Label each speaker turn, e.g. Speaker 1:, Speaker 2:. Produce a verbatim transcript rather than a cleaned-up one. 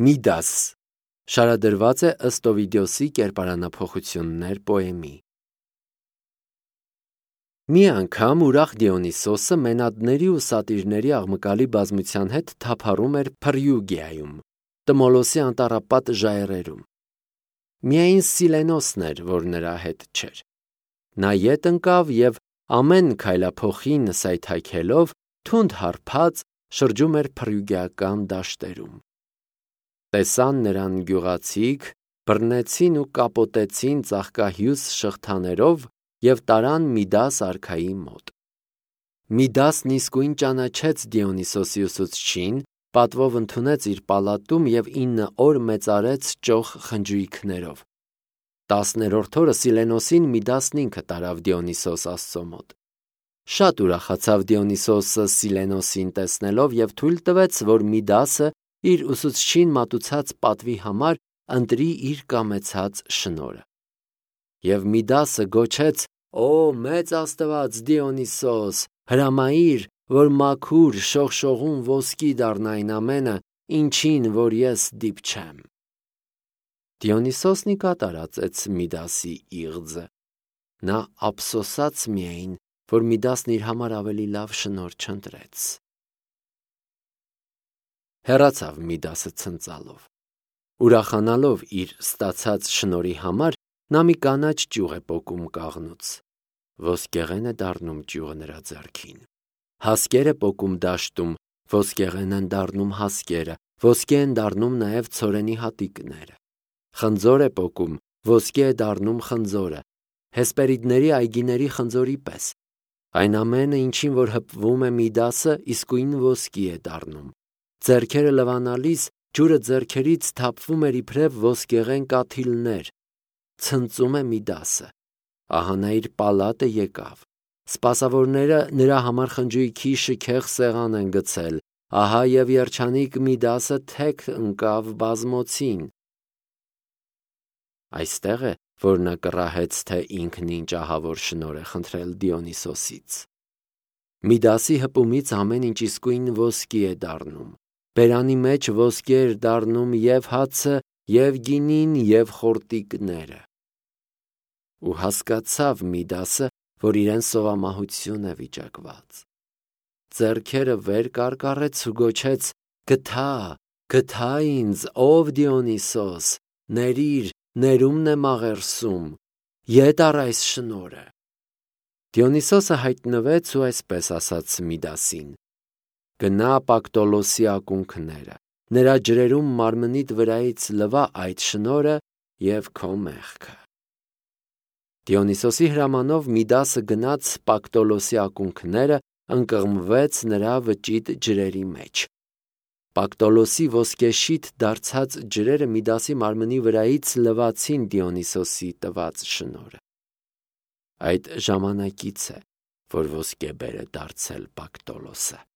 Speaker 1: Միդաս շարադրված է ըստ Օվիդիոսի կերպարանափոխություններ պոեմի։ Մի անգամ ուրախ Դիոնիսոսը մենադների ու սատիրների աղմկալի բազմության հետ թափառում էր Փրիուգիայում, Տմոլոսի անտառապատ ժայռերում։ Միայն Սիլենոսն էր, որ նրա հետ չէր։ Նա ետ ընկավ և ամեն քայլափոխին սայթաքելով թունդ հարբած շրջում էր փրիուգիական դաշտերում։ Տեսան նրան գյուղացիք, բռնեցին ու կապոտեցին ծաղկահյուս շղթաներով և տարան Միդաս արքայի մոտ։ Միդասն իսկույն ճանաչեց Դիոնիսոսի ուսուցչին, պատվով ընդունեց իր պալատում և ինը օր մեծարեց ճոխ խնջույքներով։ Տասներորդ օրը Սիլենոսին Միդասն ինքը տարավ Դիոնիսոս աստծո մոտ։ Շատ ուրախացավ Դիոնիսոսը Սիլենոսին տեսնելով և թույլ տվեց, որ Միդասը իր ուսուցչին մատուցած պատվի համար ընտրի իր կամեցած շնորհը։ Եվ Միդասը գոչեց. «Օ մեծ Աստված Դիոնիսոս, հրամայիր, որ մաքուր շողշողուն ոսկի դառնա այն ամենը, ինչին որ ես դիպչեմ»։ Դիոնիսոսն ի կատար ածեց Միդասի իղձը։ Նա ափսոսաց միայն, որ Միդասն իր համար ավելի լավ շնորհ չընտրեց։ Հեռացավ Միդասը ցնծալով։ Ուրախանալով իր ստացած շնորհի համար, նա մի կանաչ ճյուղ է պոկում կաղնուց։ Ոսկեղեն է դառնում ճյուղը նրա ձեռքին։ Հասկեր է պոկում դաշտում, ոսկեղեն են դառնում հասկերը, ոսկե են դառնում նաև ցորենի հատիկները։ Խնձոր է պոկում, ոսկե է դառնում խնձորը, հեսպերիդների այգիների խնձորի պես։ Այն ամենը, ինչին որ հպվում է Միդասը, իսկույն ոսկի է դառնում։ Ձեռքերը լվանալիս ջուրը ձեռքերից թափվում էր իբրև ոսկեղեն կաթիլներ։ Ցնծում է Միդասը։ Ահա նա իր պալատը եկավ։ Սպասավորները նրա համար խնջույքի շքեղ սեղան են գցել։ Ահա և երջանիկ Միդասը թեք ընկավ բազմոցին։ Այստեղ է, որ նա կռահեց, թե ինքն ինչ ահավոր շնորհ է խնդրել Դիոնիսոսից։ Միդասի հպումից ամեն ինչ իսկույն ոսկի է դառնում։ Բերանի մեջ ոսկի էր դառնում և հացը, և գինին, և խորտիկները։ Ու հասկացավ Միդասը, որ իրեն սովամահություն է վիճակված։ Ձեռքերը վեր կարկառեց ու գոչեց. «Գթա, գթա ինձ, ով Դիոնիսոս, ներիր, ներումն եմ աղերսում, ետ առ այս շնորհը»։ Դիոնիսոսը հայտնվեց ու այսպես ասաց Միդասին. «Գնա Պակտոլոսի ակունքները, նրա ջրերում մարմնիդ վրայից լվա այդ շնորհը և քո մեղքը»։ Դիոնիսոսի հրամանով Միդասը գնաց Պակտոլոսի ակունքները, ընկղմվեց նրա վճիտ ջրերի մեջ։ Պակտոլոսի ոսկեշիթ դարձած ջրերը Միդասի մարմնի վրայից լվացին Դիոնիսոսի տված շնորհը։ Այդ ժամանակից է, որ ոսկեբեր է դարձել Պակտոլոսը։